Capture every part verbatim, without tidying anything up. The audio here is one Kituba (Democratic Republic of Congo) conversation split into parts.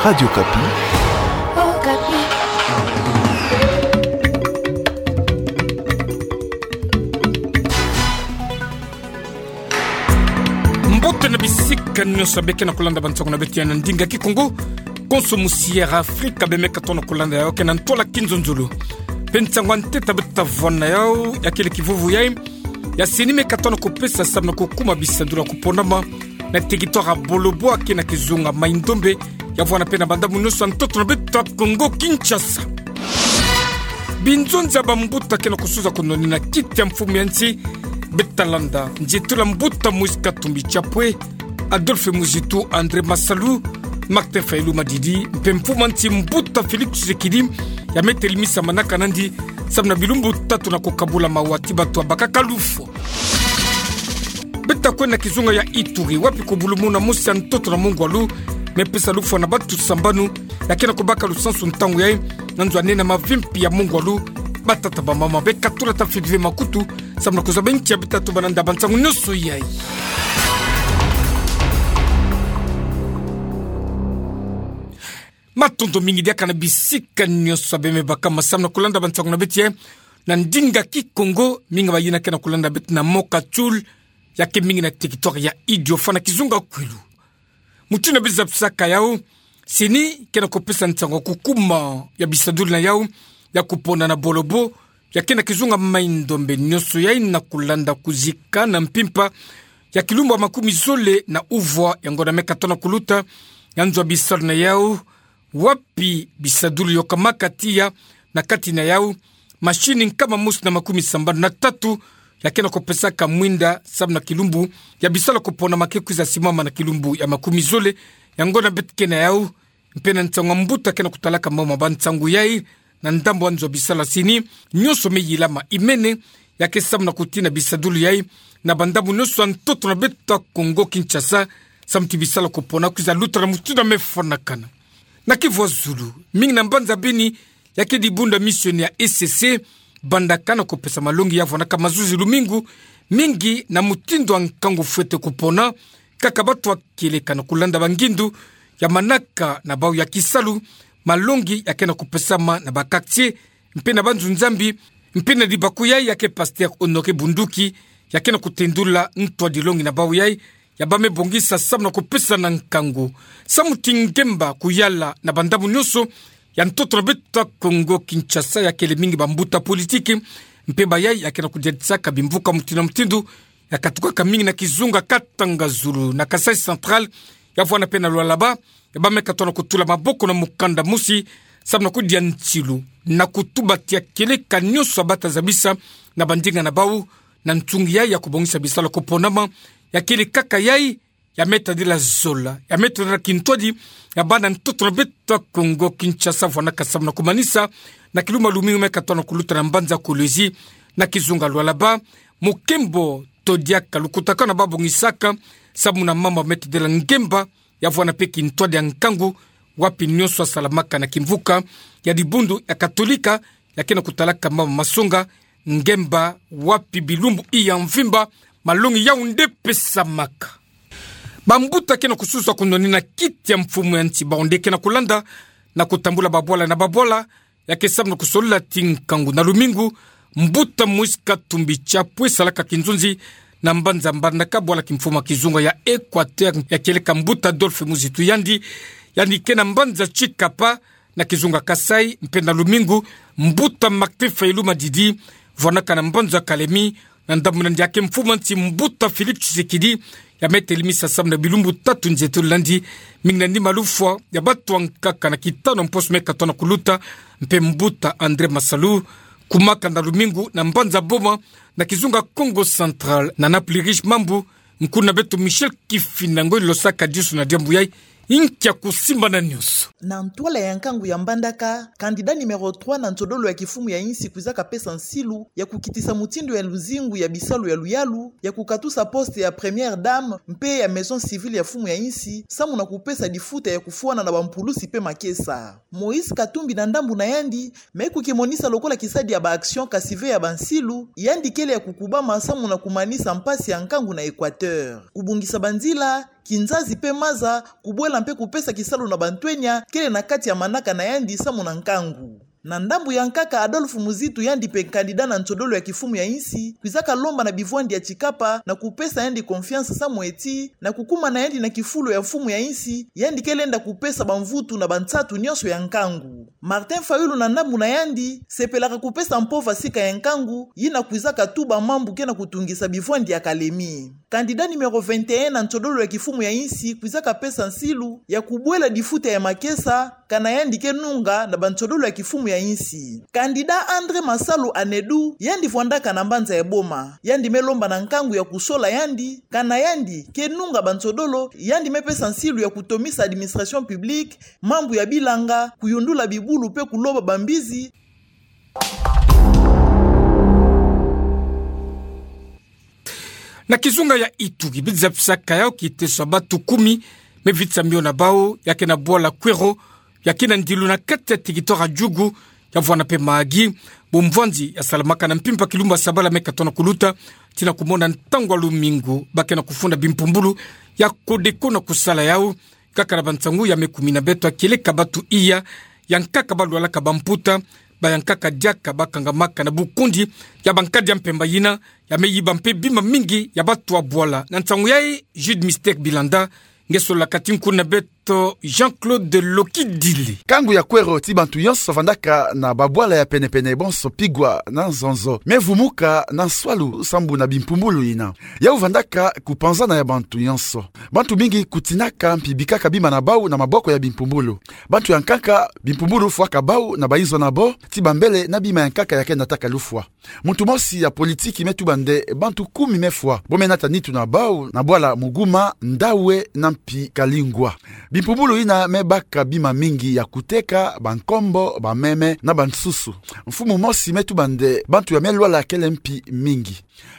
Radio Okapi. Mbote na bisika nyonso beke na kulanda bansango na beto ya na ndinga Kikongo. Konso musi Air Afrika bemeka tona kulanda yayo ke na ntwala kinzonzolo. Mpe nsango ya ntete beto ta vwanda yayo ya kele kivuvu yayi ya CENI meka tona kupesa samu na kukuma bisadulu ya kuponama na territoire ya Bolobo ke na kizunga Mai-Ndombe, ya vwanda mpe na bandambu nyonso ya ntoto na beto ya Kongo Kinshasa. Binzonzi ya bambuta ke na kusuza kunoni na kiti ya mfumu ya nsi, beto ta landa nzietulu ya mbuta Moïse Katumbi Chapwe, Adolphe Muzitu, André Masalu, Martin Fayulu Madidi, mpe mfumu ya nsi mbuta Félix Tshisekedi, ya me telimisa manaka nandi samu na bilumbu tatu na kukabula mawa ti bato ya bakaka lufwa. Beto ta kwenda na kizunga ya Ituri, wapi kubulumuna mosi ya ntoto na mungwalu me pesa lufwa na bato sambanu, ya ke na kubaka lusansu ntangu yayi na nzo ya nene ya mavimpi ya mungwalu. Batata, bamama, bekatula, tafwani ve makutu samu na kuzaba nki ya beto ta tuba na nda ya bansango nyonso yayi. Matondo mingi diaka na bisika nyonso bemeka samu na kulanda bansango na beto ya na ndinga Kikongo. Mingi bayina ke na kulanda beto na Mokatchoul, ya ke mingi na territoire ya Idiofa na kizunga Kwilu. Mutindu beto zabisaka yawu, CENI ke na kupesa nsango ya kukuma ya bisadulu na yawu ya kupona na Bolobo, ya ke na kizunga Mai-Ndombe, nyonso yayi na kulanda kuzika na mpimpa ya kilumbu ya makumi zole na uvwa ya ngonda meka tona kuluta, ya nzo ya bisalu na yawu, wapi bisadulu yokamaka tiya, na kati na yawu mashini nkama mosi na makumi sambanu na tatu ya ke na kupesaka mwinda samu na kilumbu ya bisalu ya kuponama ke kwiza simama na kilumbu ya makumi zole ya ngonda beto ke na yawu. Mpe na nsangu ya mbuta ke na kutalaka mawu ma bansangu yayi na ndambu ya nzo ya bisalu ya CENI, nyonso me yilama imene, ya ke samu na kutina bisadulu yayi na bandambu nyonso ya ntoto na beto ya Kongo Kinshasa, samu ti bisalu ya kupona kwiza luta na mutindu ya me fwanakana. Na Kivu ya zulu, mingi na mbanza Beni, ya ke dibundu ya misioni ya ECC, bandaka na kupesa malongi ya vwanaka mazuzi lumingu, mingi na mutindu ya nkangu fwete kupona, kaka bato ya kieleka na kulanda bangindu ya manaka na bawu ya kisalu, malongi ya ke na kupesama na ba quartier, mpe na banzunzambi, mpe na dibaku yayi ya ke pasteur Honoré Bunduki, ya ke na kutendula ntwadilongi na bawu yayi ya ba me bongisa samu na kupesa na nkangu. Samu ti ngemba kuyala na bandambu nyonso ya ntoto na beto ya Kongo Kinshasa, ya kele mingi bambuta politiki, mpe bayayi ya ke na kudiatisaka bimvuka mutindu na mutindu, ya katukaka mingi na kizunga Katanga Zulu, na Kasaï Central, ya vwanda mpe na Lualaba, ya ba meka tona kutula maboko na mukanda mosi, samu na kudia nsilu na kutuba ti ya kieleka nyonso ya bata zabisa na bandinga na bawu, na nsungi yayi ya kubongisa bisalu ya kuponama, ya kele kaka yayi ya me tadila zola, ya me tadila kintwadi ya bana ntoto na beto ya Kongo Kinshasa, vwanaka samu na kumanisa na kilumbu ya lumingu meka tona kuluta na mbanza Kolwezi, na kizunga Lualaba, mukembo to diaka lukutakanu ba bongisaka samu na mambu ya me tadila ngemba, ya vwanda mpe kintwadi ya nkangu, wapi nyonso ya salamaka na kimvuka ya dibundu ya Katolika, ya ke na kutalaka mambu ma songa ngemba, wapi bilumbu ya mvimba malongi yawu nde pesamaka. Bambuta ke na kusuza kunoni na kiti ya mfumu ya nsi, bawu nde ke na kulanda na kutambula babwala na babwala, ya ke samu na kusolola ti nkangu na lumingu, mbuta Moïse Katumbi Chapwe salaka kinzonzi na mbanza Mbandaka, bwala kimfumu ya kizunga ya Équateur, ya kieleka mbuta Adolphe Muzitu Yandi, yandi ke na mbanza Tshikapa, na kizunga Kasaï, mpe na lumingu, mbuta Martin Fayulu Madidi, vwanaka na mbanza Kalemi, na ndambu nandi ya ke mfumu ya nsi mbuta Félix Tshisekedi, ya me telimisa samu na bilumbu tatu nzietolo nandi, mingi nandi malufwa ya bato ya nkaka na kitano mposo meka tona kuluta, mpe mbuta André Masalu, kumaka na lumingu na mbanza Boma, na kizunga Kongo Central, na Napoli Riche Mambu, nkuna beto Michel Kifinda Ngoi losaka disu na diambu yayi, inkia kusimbana nyonso. Na ntwala ya nkangu ya Mbandaka, candidat numéro trois na nsodolo ya kifumu ya insi kwizaka pesa nsilu ya kukitisa mutindu ya luzingu ya bisalu ya luyalu, ya kukatusa poste ya première dame mpe ya maison civile ya fumu ya insi, samu na kupesa difuta ya kufwana na bampulusi mpe makesa. Moïse Katumbi na ndambu na yandi, me kukimonisa lokola kisadi ya ba action kasi ve ya bansilu, yandi kele ya kukubama samu na kumanisa mpasi ya nkangu na Équateur. Kubongisa banzila, kinzazi pe maza, kubwela mpe kupesa kisalu na bantwenia kele na kati ya manaka na yandi samu na nkangu. Na ndambu ya nkaka, Adolphe Muzitu, yandi mpe candidat na nsodolo ya kimfumu ya insi, kwizaka lomba na bivwandi ya Tshikapa na kupesa yandi confiance samu eti, na kukuma na yandi na kifulu ya mfumu ya insi, yandi ke lenda kupesa bamvutu na bansatu nyonso ya nkangu. Martin Fayulu, na ndambu na yandi, sepelaka kupesa mpova sika ya nkangu yina kwizaka tuba mambu ke na kutungisa bivwandi ya kalemi. Candidat numéro vingt et un na nsodolo ya kimfumu ya insi kwizaka pesa nsilu ya kubwela difuta ya makesa, kana yandi ke nunga na bansodolo ya kimfumu ya insi. Candidat André Masalu Anedu, yandi vwandaka na mbanza ya Boma. Yandi me lomba na nkangu ya kusola yandi, kana yandi ke nunga bansodolo, yandi me pesa nsilu ya kutomisa administration publique, mambu ya bilanga, kuyundula bibulu mpe kuloba bambizi. Na kizunga ya Ituri, bidza pisaka yau kiteso ya bantu kumi me vitsa mio na bau, ya ke na bwala Kwero, ya ke na ndilu na kati ya territoire ya Djugu, ya vwanda mpe Mahagi, bumvwanzi ya salamaka na mpimpa kilumbu ya sabala me katono kuluta, tii na kumona ntangu ya lumingu, ba ke na kufunda bimpumbulu ya Codeco na kusala yau, kaka na bansangu ya me kumina beto ya kieleka bantu iya, ya nkaka balwalaka bamputa, bayankaka diaka bakangamaka na bukundi ya bankadi ya mpemba yina, ya me yiba mpe bima mingi ya bantu ya bwala. Na nsangu yayi, Jude Mystère Bilanda, nge solaka tinkundu na beto Jean-Claude Lokidile. Nkangu ya Kwero ti bantu yonso vandaka na babwala ya penepene bonso Pigwa na Nzonzo me vumuka na nswalu sambu na bimpumbulu yina. Yau vandaka kupanzana ya bantu yonso. Bantu mingi kutinaka mpi bikaka bima na bau na maboko ya bimpumbulu. Bantu ya nkaka, bimpumbulu fwaka bau na bayinzo na bo, ti bambele na bima ya nkaka ya ke nataka lufwa. Muntu mosi ya politiki me tuba nde bantu kumi me fwa, bo me nata nitu na bau na bwala Muguma, Ndawe na mpi Kalingwa. Bimpumbulu yina me baka bima mingi ya kuteka, bankombo, bameme na bansusu. Mfumu mosi me tuba nde bantu ya me lwala kele mpi mingi.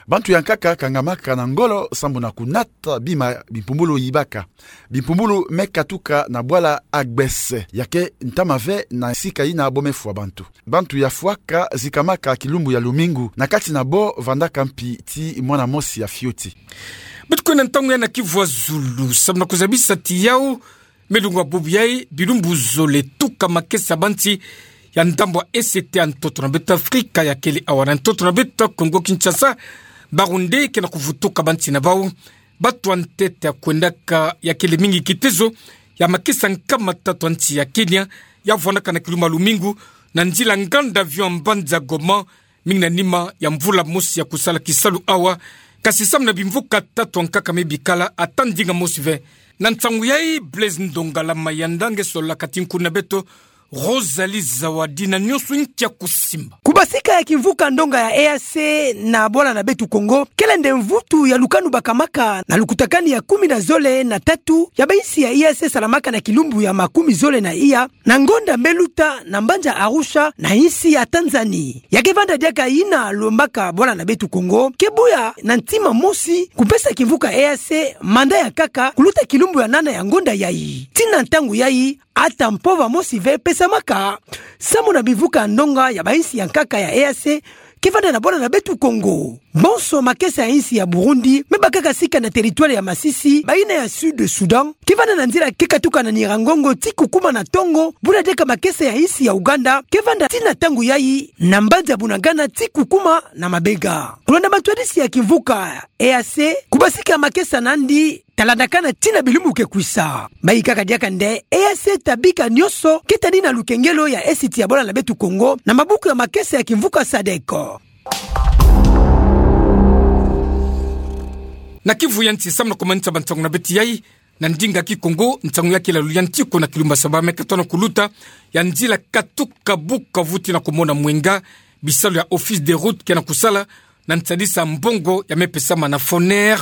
Bantu ya nkaka kangamaka na ngolo sambu na kunata bima bimpumbulu yibaka. Bimpumbulu me katuka na bwala Agbese, ya ke ntama ve na sika yina bo me fwa bantu. Bantu ya fwaka zikamaka kilumbu ya lumingu, na kati na bo vandaka mpi ti mwana mosi ya fioti. Beto kwenda ntangu ya na kivu ya zulu, sambu na kuzabisa ti yau, me lungwa bubu yayi, bilumbu zole tuka makesa bansi ya ndambu ya E C T ya ntoto na beto Afrika ya kele awa na ntoto na beto Kongo Kinshasa, ba Rwandais ke na kuvutuka bansi na bau. Bantu ya ntete ya kwendaka ya kele mingi kitezo ya makesa nkama tatu ya nsi ya Kenya, ya vwandaka na kilumbu ya lumingu na nzila nganda avion ya mbanza Goma, mingi na nima ya mvula mosi ya kusala kisalu awa, kasi samu na bimvuka tatu ya nkaka me bikala ata ndinga mosi ve. Na nsangu yayi, Blaise Ndongala Mayanda nge solaka tinkundu na beto Rosalie Zawadi na nionso nkia kusimba. Kubasika ya kimvuka ndonga ya E A C na bwala na beto Kongo, kele nde mvutu ya lukanu bakamaka na lukutakanu ya kumi na zole na tatu ya bainsi ya E A C salamaka na kilumbu ya makumi zole na iya, na ngonda me luta na mbanza Arusha na insi ya Tanzanie. Ya ke vanda diaka yina lombaka bwala na beto Kongo ke buya na ntima mosi kupesa kimvuka E A C mandat ya nkaka kuluta kilumbu ya nana ya ngonda yayi. Tii na ntangu yayi, ata mpova mosi ve pesamaka samu na bimvuka ndonga ya bainsi ya nkaka ya E A C ke vanda na bwala na beto Kongo. Bonso makesa ya insi ya Burundi me bakaka sika na territoire ya Masisi, bayina ya Sud Soudan ke vanda na nzila ke katuka na Nyiragongo ti kukuma na Tongo, buna diaka makesa ya insi ya Uganda ke vanda tii na ntangu yayi na mbanza Bunagana ti kukuma na Mabega. Kulanda matwadisi ya kimvuka E A C, kubasika makesa nandi talandakana tii na bilumbu ke kwisa. Bayikaka diaka nde E A C ta bika nionso ke tani na lukengelo ya esiti ya bwala na beto Kongo na mabuku ya makesa ya kimvuka sadec. Na kivu ya nsi, samu na kumanisa bansangu na beto yayi na ndinga Kikongo, nsangu ya kilalu ya nsi ko na kilumbu ya saba me katono kuluta, ya nzila katuka Bukavu tii na kumona Mwenga, bisalu ya Office des routes ke na kusala na nsadisa mbongo ya me pesama na Foner,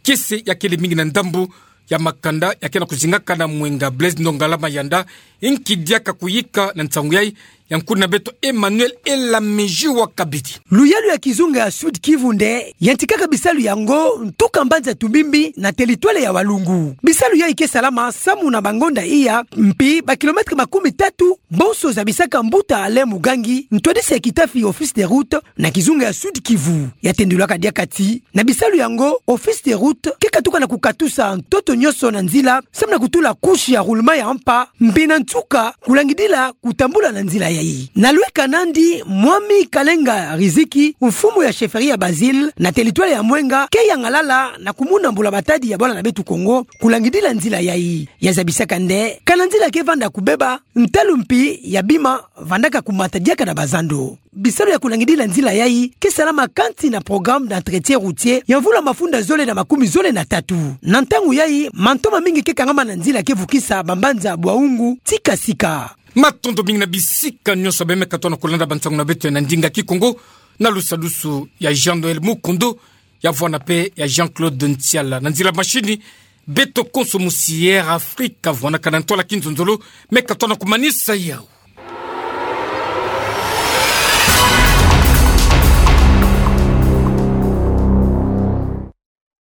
kiese ya kele mingi na ndambu ya makanda ya ke na kuzingaka na Mwenga. Blaise Ndongala Mayanda nki diaka kuyika na nsangu yayi, ya nkuna beto Emmanuel Elamiji wa kabidi. Luyalu ya kizunga ya Sud-Kivu nde yantikaka bisalu yango ntuka mbanza Tumbimbi na teritware ya Walungu. Bisalu yayi ke salama samu na bangonda iya, mpi ba kilomètre makumi tatu bonso zabisaka mbuta Alain Mugangi, ntwadisi ya kitafi office de route na kizunga ya Sud-Kivu. Ya tendulaka diaka ti na bisalu yango, office de route ke katuka na kukatusa ntoto nyonso na nzila samu na kutula couche ya roulement ya mpa, mpi na nsuka kulangidila kutambula na nzila yayi. Na lweka nandi, Mwami Kalenga Riziki, mfumu ya chefferie ya Basile na teritware ya Mwenga, ke yangalala na kumuna mbula-matadi ya bwala na beto Kongo kulangidila nzila yayi. Ya zabisaka nde kana nzila ke vanda kubeba, ntalu mpi ya bima vandaka kumata diaka na bazando. Bisalu ya kulangidila nzila yayi ke salama kansi na programme d'entretien routier ya mvula mafunda zole na makumi zole na tatu. Na ntangu yayi, mantoma mingi ke kangama na nzila ke vukisa bambanza Bwaungu ti Kasika. Matondo mingi na bisika nyonso beno me katuka na kulanda bansangu na beto na ndinga Kikongo, na lusadusu ya Jean-Noël Mukundu, ya vwanda mpe ya Jean-Claude Ntiala. Na nzila machine, beto konso musi Air Afrique, vwanda kana ntwala kinzonzolo, me katuka na kumanisa yawu.